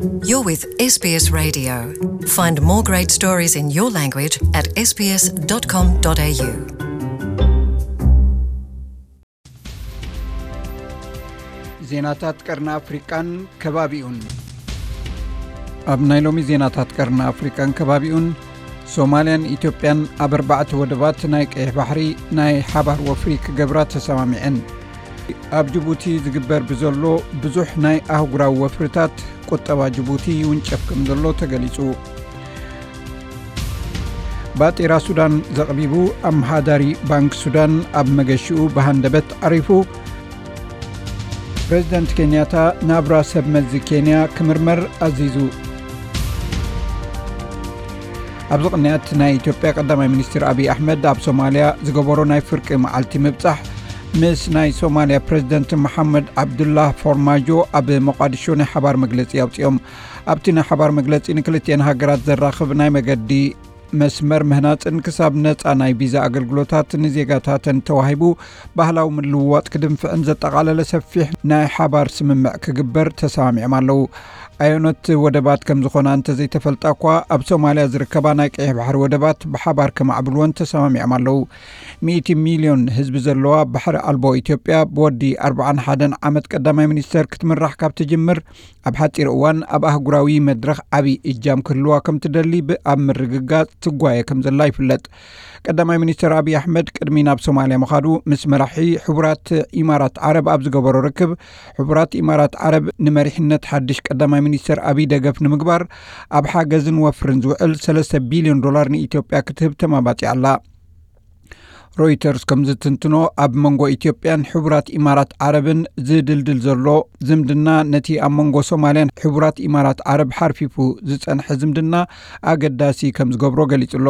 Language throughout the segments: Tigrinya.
You're with S B S Radio. Find more great stories in your language at S B S dot com dot A U. ዜናታት ቀርኒ ኣፍሪቃን ከባቢኡን። ኣብ ናይ ሎሚ ዜናታት ቀርኒ ኣፍሪቃን ከባቢኡን፣ ሶማልያን ኢትዮጵያን ኣብ ኣርባዕተ ወደባት ናይ ቀይሕ ባሕሪ ናይ ሓባር ወፍሪ ክገብራ ተሰማሚዐን። ኣብ ጅቡቲ ዝግበር ብዘሎ ብዙሕ ናይ ኣህጉራዊ ወፍርታት፣ ቁጠባ ጅቡቲ ይውንጨፍ ከም ዘሎ ተገሊጹ። ባጤራ ሱዳን ዘቕቢቡ፣ ኣመሓዳሪ ባንክ ሱዳን ኣብ መገሽኡ ብሃንደበት ዓሪፉ። ፕሬዚደንት ኬንያታ ናብራ ሰብ መዚ ኬንያ ክምርመር ኣዚዙ። ኣብዚ ቅንያት፣ ናይ ኢትዮጵያ ቀዳማይ ሚኒስትር ኣብይ ኣሕመድ ኣብ ሶማልያ ዝገበሮ ናይ ፍርቂ መዓልቲ ምብጻሕ፣ ምስ ናይ ሶማልያ ፕሬዚደንት መሓመድ ዓብዱላህ ፎርማጆ ኣብ ሞቃዲሾ ናይ ሓባር መግለጺ ኣውጺኦም። ኣብቲ ናይ ሓባር መግለጺ፣ ንክልቲኤን ሃገራት ዘራኽብ ናይ መገዲ መስመር ምህናጽን ክሳብ ነጻ ናይ ቪዛ ኣገልግሎታት ንዜጋታተን ተዋሂቡ ባህላዊ ምልውዋጥ ክድንፍዕን ዘጠቓለለ ሰፊሕ ናይ ሓባር ስምምዕ ክግበር ተሰማሚዖም ኣለዉ። ኣየኖት ወደባት ከም ዝኾና እንተዘይተፈልጣ እኳ፣ ኣብ ሶማልያ ዝርከባ ናይ ቀይሕ ባሕሪ ወደባት ብሓባር ከማዕብልወን ተሰማሚዖም ኣለዉ። ሚእቲ ሚልዮን ህዝቢ ዘለዋ ባሕሪ ኣልቦ ኢትዮጵያ፣ ብወዲ ኣርብዓን ሓደን ዓመት ቀዳማይ ሚኒስተር ክትምራሕ ካብ ትጅምር፣ ኣብ ሓጺር እዋን ኣብ ኣህጉራዊ መድረኽ ዓቢ እጃም ክህልዋ ከም ትደሊ ብ-፣ ኣብ ምርግጋጽ ትጓየ ከም ዘላ ይፍለጥ። ቀዳማይ ሚኒስተር ኣብይ ኣሕመድ ቅድሚ ናብ ሶማልያ ምኻዱ፣ ምስ መራሒ ሕቡራት ኢማራት ዓረብ ኣብ ዝገበሮ ርክብ፣ ሕቡራት ኢማራት ዓረብ ንመሪሕነት ሓድሽ ቀዳማይ ሚኒስተር ኣብይ ደገፍ ንምግባር፣ ኣብ ሓገዝን ወፍርን ዝውዕል ሰለስተ ቢልዮን ዶላር ንኢትዮጵያ ክትህብ ተማባጺዓ ኣላ። ሮይተርስ ከም ዝትንትኖ፣ ኣብ መንጎ ኢትዮጵያን ሕቡራት ኢማራት ዓረብን ዝድልድል ዘሎ ዝምድና፣ ነቲ ኣብ መንጎ ሶማልያን ሕቡራት ኢማራት ዓረብ ሓርፊፉ ዝጸንሐ ዝምድና ኣገዳሲ ከም ዝገብሮ ገሊጹ ኣሎ።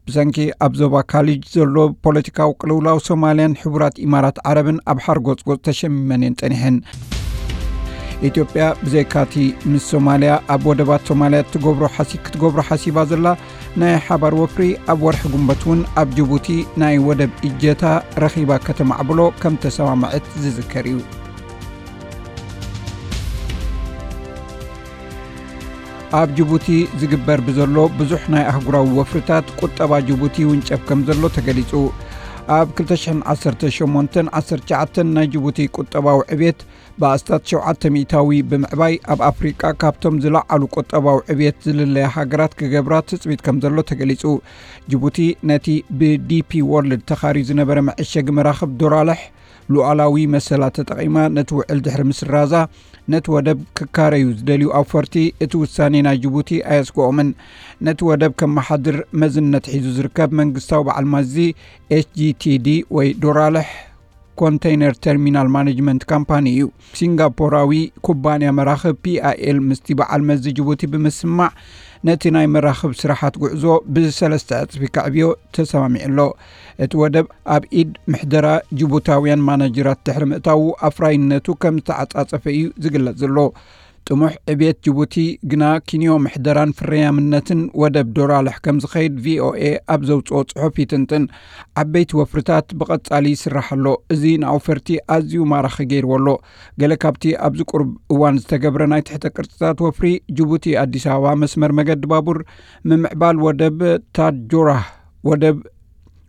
ብሰንኪ ኣብ ዞባ ካሊጅ ዘሎ ፖለቲካዊ ቅልውላው፣ ሶማልያን ሕቡራት ኢማራት ዓረብን ኣብ ሓርጎጽጎጽ ተሸሚመን እየን ጸኒሐን። ኢትዮጵያ ብዘይካቲ ምስ ሶማልያ ኣብ ወደባት ሶማልያ ትገብሮ ሓሲ-፣ ክትገብሮ ሓሲባ ዘላ ናይ ሓባር ወፍሪ፣ ኣብ ወርሒ ግንቦት እውን ኣብ ጅቡቲ ናይ ወደብ እጀታ ረኺባ ከተማዕብሎ ከም ተሰማምዐት ዝዝከር እዩ። ኣብ ጅቡቲ ዝግበር ብዘሎ ብዙሕ ናይ ኣህጉራዊ ወፍርታት፣ ቁጠባ ጅቡቲ ይውንጨፍ ከም ዘሎ ተገሊጹ። ኣብ ክልተ ሽሕን ዓሰርተ ሸሞንተን ዓሰርተ ትሽዓተን ናይ ጅቡቲ ቁጠባዊ ዕብየት ብኣስታት ሸውዓተ ሚእታዊ ብምዕባይ፣ ኣብ ኣፍሪቃ ካብቶም ዝለዓሉ ቁጠባዊ ዕብየት ዝልለያ ሃገራት ክገብራ ትጽቢት ከም ዘሎ ተገሊጹ። ጅቡቲ ነቲ ብዲ ፒ ወርልድ ተኻርዩ ዝነበረ መዐሸጊ መራኽብ ዶራልሕ ሉዓላዊ መሰላ ተጠቒማ ነቲ ውዕል ድሕሪ ምስራዛ፣ ነቲ ወደብ ክካረዩ ዝደልዩ ኣውፈርቲ እቲ ውሳኔ ናይ ጅቡቲ ኣየስግኦምን። ነቲ ወደብ ከመሓድር መዝነት ሒዙ ዝርከብ መንግስታዊ በዓል መዚ ኤች ጂ ቲ ዲ ወይ ዶራልሕ ኮንተይነር ተርሚናል ማኔጅመንት ካምፓኒ እዩ። ሲንጋፖራዊ ኩባንያ መራኽብ ፒ ኣይ ኤል ምስቲ በዓል መዚ ጅቡቲ ብምስማዕ፣ ነቲ ናይ መራኽብ ስራሓት ጉዕዞ ብሰለስተ ዕጽፊ ከዕብዮ ተሰማሚዑ ኣሎ። እቲ ወደብ ኣብ ኢድ ምሕደራ ጅቡታውያን ማናጀራት ድሕሪ ምእታዉ፣ ኣፍራይነቱ ከም ዝተዓጻጸፈ እዩ ዝግለጽ ዘሎ። ጥሙሕ ዕብየት ጅቡቲ ግና፣ ክንዮ ምሕደራን ፍርያምነትን ወደብ ዶራልሕ ከም ዝኸይድ ቪ ኦ ኤ ኣብ ዘውጽኦ ጽሑፍ ይትንትን። ዓበይቲ ወፍርታት ብቐጻሊ ይስራሕ ኣሎ። እዚ ንኣውፈርቲ ኣዝዩ ማራኺ ገይርዎ ኣሎ። ገለ ካብቲ ኣብዚ ቁሩብ እዋን ዝተገብረ ናይ ትሕተ ቅርጽታት ወፍሪ፣ ጅቡቲ ኣዲስ ኣበባ መስመር መገዲ ባቡር፣ ምምዕባል ወደብ ታጆራህ፣ ወደብ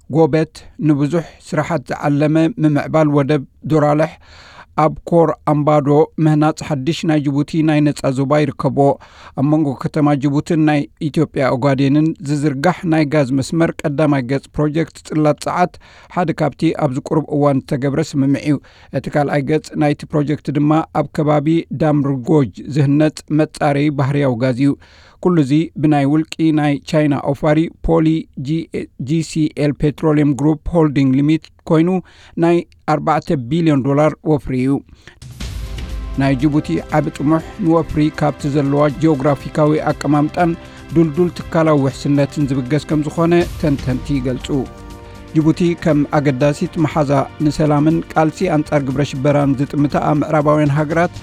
ጎበት፣ ንብዙሕ ስራሓት ዝዓለመ ምምዕባል ወደብ ዶራልሕ፣ ኣብ ኮር ኣምባዶ ምህናጽ ሓድሽ ናይ ጅቡቲ ናይ ነጻ ዞባ ይርከቦ። ኣብ መንጎ ከተማ ጅቡትን ናይ ኢትዮጵያ ኦጋዴንን ዝዝርጋሕ ናይ ጋዝ መስመር ቀዳማይ ገጽ ፕሮጀክት ጽላት ጸዓት ሓደ ካብቲ ኣብዚ ቁሩብ እዋን ዝተገብረ ስምምዕ እዩ። እቲ ካልኣይ ገጽ ናይቲ ፕሮጀክት ድማ ኣብ ከባቢ ዳምርጎጅ ዝህነጽ መጻረዪ ባህርያዊ ጋዝ እዩ። ኩሉ እዚ ብናይ ውልቂ ናይ ቻይና ኣውፋሪ ፖሊ ጂ-፣ ጂ ሲ ኤል ፔትሮሊየም ግሩፕ ሆልዲንግ ሊሚት ኮይኑ፣ ናይ ኣርባዕተ ቢልዮን ዶላር ወፍሪ እዩ። ናይ ጅቡቲ ዓቢ ጥሙሕ፣ ንወፍሪ ካብቲ ዘለዋ ጂኦግራፊካዊ ኣቀማምጣን ድልዱል ትካላዊ ውሕስነትን ዝብገስ ከም ዝኾነ ተንተንቲ ይገልጹ። ጅቡቲ ከም ኣገዳሲት መሓዛ ንሰላምን ቃልሲ ኣንጻር ግብረ ሽበራን ዝጥምታ ምዕራባውያን ሃገራት፣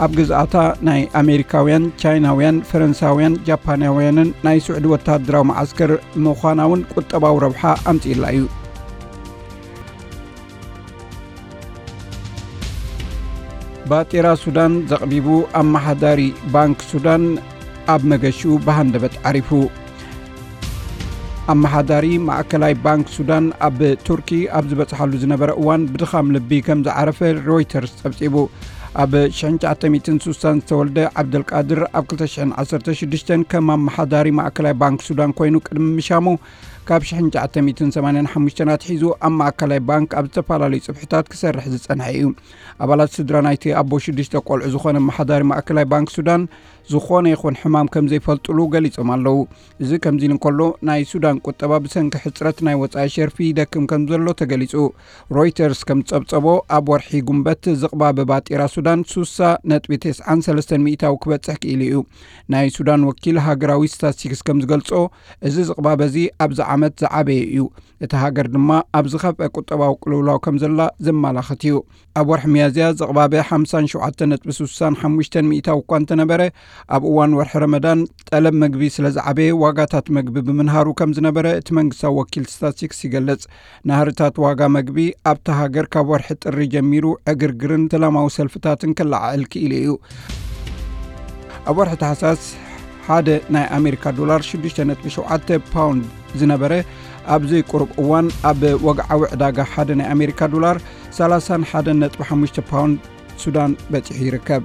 ኣብ ግዝኣታ ናይ ኣሜሪካውያን፣ ቻይናውያን፣ ፈረንሳውያን፣ ጃፓናውያንን ናይ ስዑዲ ወተሃደራዊ መዓስከር ምዃና እውን ቁጠባዊ ረብሓ ኣምጺእላ እዩ። ባጤራ ሱዳን ዘቕቢቡ። ኣመሓዳሪ ባንክ ሱዳን ኣብ መገሽኡ ብሃንደበት ዓሪፉ። ኣመሓዳሪ ማእከላይ ባንክ ሱዳን ኣብ ቱርኪ ኣብ ዝበጽሓሉ ዝነበረ እዋን ብድኻም ልቢ ከም ዝዓረፈ ሮይተርስ ጸብጺቡ። ኣብ ሽሕን ትሽዓተ ሚእትን ስሳን ዝተወልደ ዓብደልቃድር ኣብ ክልተ ሽሕን ዓሰርተ ሽዱሽተን ከም ኣመሓዳሪ ማእከላይ ባንክ ሱዳን ኮይኑ ቅድሚ ምሻሙ፣ ካብ ሽሕን ትሽዓተ ሚእትን ሰማንያን ሓሙሽተን ኣትሒዙ ኣብ ማእከላይ ባንክ ኣብ ዝተፈላለዩ ጽፍሕታት ክሰርሕ ዝጸንሐ እዩ። ኣባላት ስድራ ናይቲ ኣቦ ሽዱሽተ ቆልዑ ዝኾነ ኣመሓዳሪ ማእከላይ ባንክ ሱዳን ዝኾነ ይኹን ሕማም ከም ዘይፈልጥሉ ገሊጾም ኣለዉ። እዚ ከምዚ ኢሉ እንከሎ፣ ናይ ሱዳን ቁጠባ ብሰንኪ ሕጽረት ናይ ወጻኢ ሸርፊ ይደክም ከም ዘሎ ተገሊጹ። ሮይተርስ ከም ዝጸብጸቦ፣ ኣብ ወርሒ ጉንበት ዝቕባበ ባጤራ ሱዳን ሱሳ ነጥቢ ተስዓን ሰለስተን ሚእታዊ ክበጽሕ ክኢሉ እዩ። ናይ ሱዳን ወኪል ሃገራዊ ስታትስቲክስ ከም ዝገልጾ፣ እዚ ዝቕባበ እዚ ኣብዚ ዓመት ዝዓበየ እዩ። እታ ሃገር ድማ ኣብ ዝኸፍአ ቁጠባዊ ቅልውላው ከም ዘላ ዘመላኽት እዩ። ኣብ ወርሒ ሚያዝያ ዝቕባበ ሓምሳን ሸውዓተን ነጥቢ ስሳን ሓሙሽተን ሚእታዊ እኳ እንተነበረ፣ ኣብ እዋን ወርሒ ረመዳን ጠለብ መግቢ ስለ ዝዓበየ ዋጋታት መግቢ ብምንሃሩ ከም ዝነበረ እቲ መንግስታዊ ወኪል ስታትስቲክስ ይገልጽ። ናህርታት ዋጋ መግቢ ኣብታ ሃገር ካብ ወርሒ ጥሪ ጀሚሩ ዕግርግርን ሰላማዊ ሰልፍታትን ክለዓዕል ክኢሉ እዩ። ኣብ ወርሒ ታሕሳስ ሓደ ናይ ኣሜሪካ ዶላር ሽዱሽተ ነጥቢ ሸውዓተ ፓውንድ ዝነበረ፣ ኣብዚ ቁሩብ እዋን ኣብ ወግዓዊ ዕዳጋ ሓደ ናይ ኣሜሪካ ዶላር ሰላሳን ሓደን ነጥቢ ሓሙሽተ ፓውንድ ሱዳን በጺሑ ይርከብ።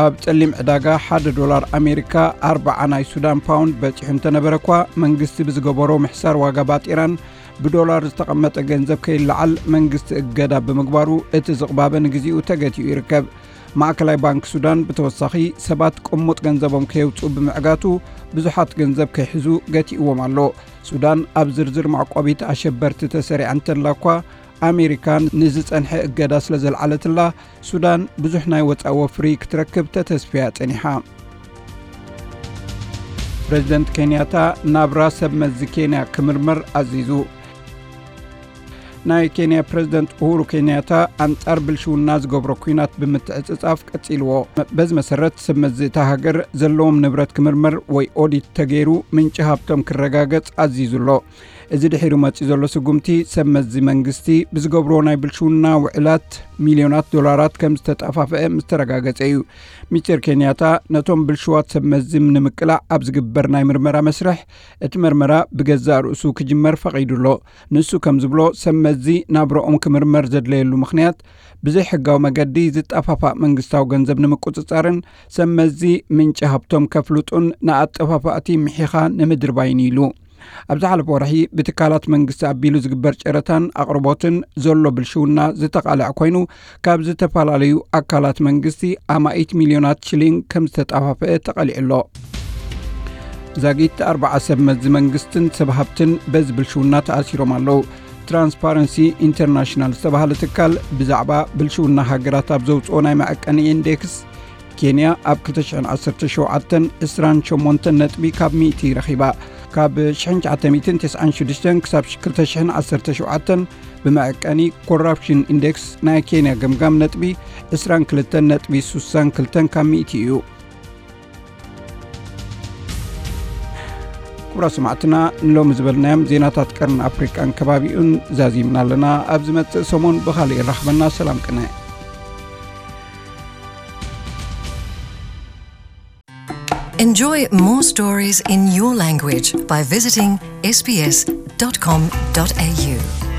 ኣብ ጸሊም ዕዳጋ ሓደ ዶላር ኣሜሪካ ኣርብዓ ናይ ሱዳን ፓውንድ በጺሑ እንተነበረ እኳ፣ መንግስቲ ብዝገበሮ ምሕሳር ዋጋ ባጤራን ብዶላር ዝተቐመጠ ገንዘብ ከይለዓል መንግስቲ እገዳ ብምግባሩ፣ እቲ ዝቕባበ ንግዚኡ ተገቲኡ ይርከብ። ማእከላይ ባንክ ሱዳን ብተወሳኺ ሰባት ቅሙጥ ገንዘቦም ከየውጽኡ ብምዕጋቱ፣ ብዙሓት ገንዘብ ከይሕዙ ገቲእዎም ኣሎ። ሱዳን ኣብ ዝርዝር መዕቆቢት ኣሸበርቲ ተሰሪዓ እንተላ እኳ፣ ኣሜሪካ ንዝጸንሐ እገዳ ስለ ዘልዓለትላ፣ ሱዳን ብዙሕ ናይ ወጻኢ ወፍሪ ክትረክብ ተተስፍያ ጸኒሓ። ፕረዚደንት ኬንያታ ናብራ ሰብ መዚ ኬንያ ክምርመር ኣዚዙ። ናይ ኬንያ ፕረዚደንት ኡሁሩ ኬንያታ ኣንጻር ብልሽውና ዝገብሮ ኲናት ብምትዕጽጻፍ ቀጺልዎ። በዚ መሰረት ሰብ መዚ እታ ሃገር ዘለዎም ንብረት ክምርመር ወይ ኦዲት ተገይሩ ምንጪ ሃብቶም ክረጋገጽ ኣዚዙ ኣሎ። እዚ ድሒሩ መጺኡ ዘሎ ስጉምቲ ሰብ መዚ መንግስቲ ብዝገብርዎ ናይ ብልሽውና ውዕላት ሚልዮናት ዶላራት ከም ዝተጣፋፍአ ምስ ተረጋገጸ እዩ። ሚስተር ኬንያታ ነቶም ብልሽዋት ሰብ መዚ ንምቅላዕ ኣብ ዝግበር ናይ ምርመራ መስርሕ እቲ መርመራ ብገዛእ ርእሱ ክጅመር ፈቒዱ ኣሎ። ንሱ ከም ዝብሎ፣ ሰብ መዚ ናብራኦም ክምርመር ዘድለየሉ ምኽንያት ብዘይሕጋዊ መገዲ ዝጠፋፋእ መንግስታዊ ገንዘብ ንምቁጽጻርን ሰብ መዚ ምንጪ ሃብቶም ከፍልጡን ንኣጠፋፋእቲ ምሒኻ ንምድርባይን ኢሉ። ኣብ ዝሓለፈ ወርሒ ብትካላት መንግስቲ ኣቢሉ ዝግበር ጨረታን ኣቕርቦትን ዘሎ ብልሽውና ዝተቓልዐ ኮይኑ፣ ካብ ዝተፈላለዩ ኣካላት መንግስቲ ኣማኢት ሚልዮናት ሽሊንግ ከም ዝተጣፋፍአ ተቓሊዑ ኣሎ። ዛጊት ኣርብዓ ሰብ መዚ መንግስትን ሰብ ሃብትን በዚ ብልሽውና ተኣሲሮም ኣለዉ። ትራንስፓረንሲ ኢንተርናሽናል ዝተባህለ ትካል ብዛዕባ ብልሽውና ሃገራት ኣብ ዘውፅኦ ናይ መዐቀኒ ኢንዴክስ፣ ኬንያ ኣብ ክልተ ሽሕን ዓሰርተ ሸውዓተን ዕስራን ሸሞንተን ነጥቢ ካብ ሚእቲ ረኺባ። ካብ ሽሕን ትሽዓተ ሚእትን ተስዓን ሽዱሽተን ክሳብ ክልተ ሽሕን ዓሰርተ ሸውዓተን ብመዐቀኒ ኮራፕሽን ኢንዴክስ ናይ ኬንያ ገምጋም ነጥቢ ዕስራን ክልተን ነጥቢ ስሳን ክልተን ካብ ሚእቲ እዩ። ክቡራት ሰማዕትና፣ ንሎሚ ዝበልናዮም ዜናታት ቀርኒ ኣፍሪቃን ከባቢኡን ዛዚምና ኣለና። ኣብ ዝመጽእ ሰሙን ብኻልእ ይራኽበና። ሰላም ቅነ። Enjoy more stories in your language by visiting S B S dot com dot A U.